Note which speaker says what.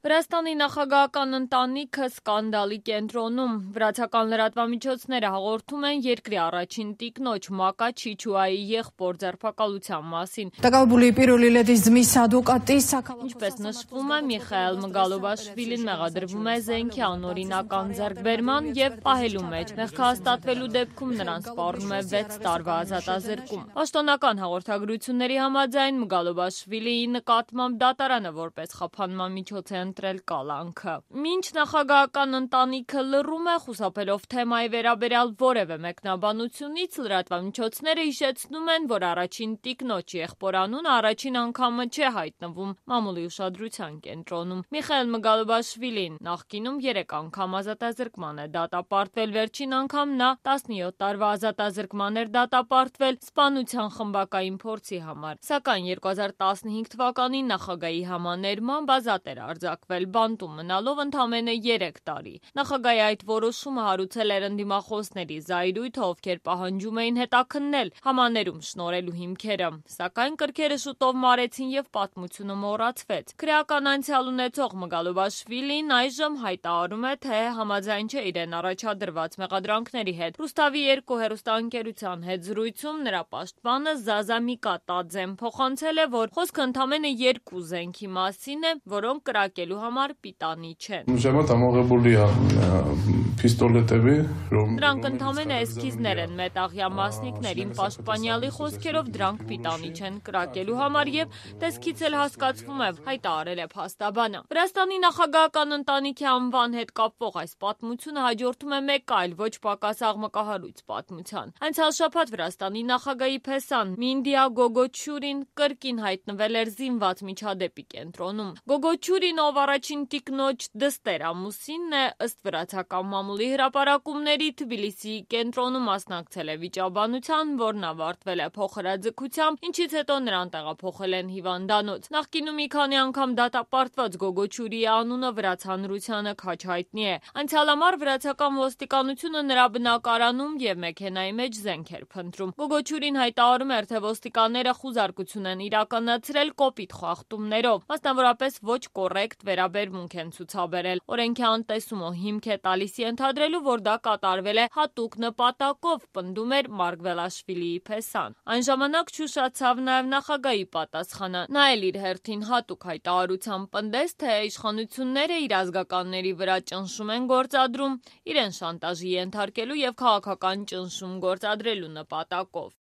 Speaker 1: Վրաստանի նախագահական ընտանիքը սկանդալի կենտրոնում։ Վրացական լրատվամիջոցները հաղորդում են երկրի առաջին տիկնոջ Մակա Չիչուայի եղբոր ձերբակալության մասին։ Ինչպես նշվում է, Միխայել Մգալոբաշվիլին մեղադրվում է զենքի անօրինական ձեռքբերման և պահելու մեջ։ Մեղքահաստատվելու դեպքում նրան սպառնում է 6 տարվա ազատազրկում։ Պաշտոնական հաղորդագրությունների համաձայն Մգալոբաշվիլիի նկատմամբ դատարանը որպես խափանման միջոց է ընտրել կալանքը։ Մինչ նախագահական ընտանիքը լռում է, խուսափելով թեմայի վերաբերյալ որևէ մեկնաբանությունից, լրատվամիջոցները հիշեցնում են, որ առաջին տիկնոջ եղբորանունը առաջին անգամը չէ հայտնվում մամուլի ուշադրության կենտրոնում։ Միխայել Մգալոբաշվիլին նախկինում 3 անգամ ազատազրկման է դատապարտվել, վերջին անգամ նա 17 տարվա ազատազրկման էր դատապարտվել սպանության խմբակային փորձի համար, սակայն 2015 թվականին նախագահի համաներմամբ ազատ էր արձակվել, բանտում մնալով ընդամենը 3 տարի։ Նախագահի այդ որոշումը հարուցել էր ընդդիմախոսների զայրույթը, ովքեր պահանջում էին հետաքննել համաներում շնորհելու հիմքերը, սակայն կրքերը շուտով մարեցին եւ պատմությունը մոռացվեց։ Քրեական անցյալ ունեցող Մգալոբաշվիլին այժմ հայտարարում է, թե համաձայն չէ իրեն առաջադրված մեղադրանքների հետ։ Ռուսթավի 2 հեռուստաընկերության հետ զրույցում նրա պաշտպանը Զազա Միկատաձեն փոխանցել է, որ խոսքը ընդամենը 2 զենքի մասին է, որոնք կրակելու համար պիտանի չեն։ Դրանք ընդամենը էսքիզներ են, մետաղյա մասնիկներին պաշտպանյալի խոսքերով դրանք պիտանի չեն կրակելու համար եւ տեսքից էլ հասկացվում է, հայտարարել է փաստաբանը։ Վրաստանի նախագահական ընտանիքի անվան հետ կապվող այս պատմությունը հաջորդում է մեկ այլ ոչ պակաս աղմկահարույց պատմության։ Անցյալ շաբաթ Վրաստանի նախագահի փեսան Մինդիա Գոգոչուրին կրկին հայտնվել էր զինված միջադեպի կենտրոնում։ Գոգոչուրին, ով առաջին տիկնոջ դստեր ամուսինն է, ըստ վրացական մամուլի հրապարակումների Թբիլիսիի կենտրոնում մասնակցել է վիճաբանության, որն ավարտվել է փոխհրաձգությամբ, ինչից հետո նրան տեղափոխել են հիվանդանոց։ Նախկինում մի քանի անգամ դատապարտված Գոգոչուրիի անունը վրաց հանրությանը քաջ հայտնի է։ Անցյալ ամառ վրացական ոստիկանությունը նրա բնակարանում և մեքենայի մեջ զենք էր փնտրում։ Գոգոչուրին հայտարարում էր, թե ոստիկանները խուզարկություն են իրականացրել կոպիտ խախտումներով, մասնավորապես ոչ կոռեկտ վերաբերմունք են ցուցաբերել։ Օրենքի անտեսումը հիմք է տալիս ենթադրելու, որ դա կատարվել է հատուկ նպատակով, պնդում էր Մարգվելաշվիլիի փեսան։ Այն ժամանակ չուշացավ նաև նախագահի պատասխանը։ Նա էլ իր հերթին հատուկ հայտարարությամբ պնդեց, թե իշխանությունները իր ազգականների վրա ճնշում են գործադրում, իրեն շանտաժի ենթարկելու և քաղաքական ճնշում գործադրելու նպատակով։